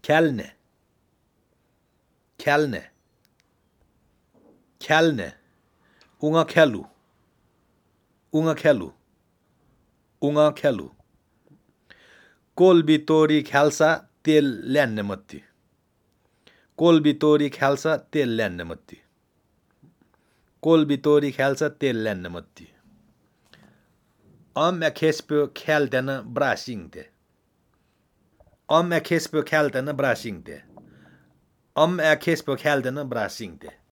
Kälne. Kälne. Kälne. Unga kellu. Unga kellu. Unga kellu. कोलबितोरी ख्याल्सा तेल ल्यान्ने मत्ती. कोलबितोरी ख्याल्सा तेल ल्यान्ने मत्ती. कोलबितोरी ख्याल्सा तेल ल्यान्ने मत्ती. Om jag kesper kältena bra singte. Om jag kesper kältena bra singte. Om jag kesper kältena bra singte.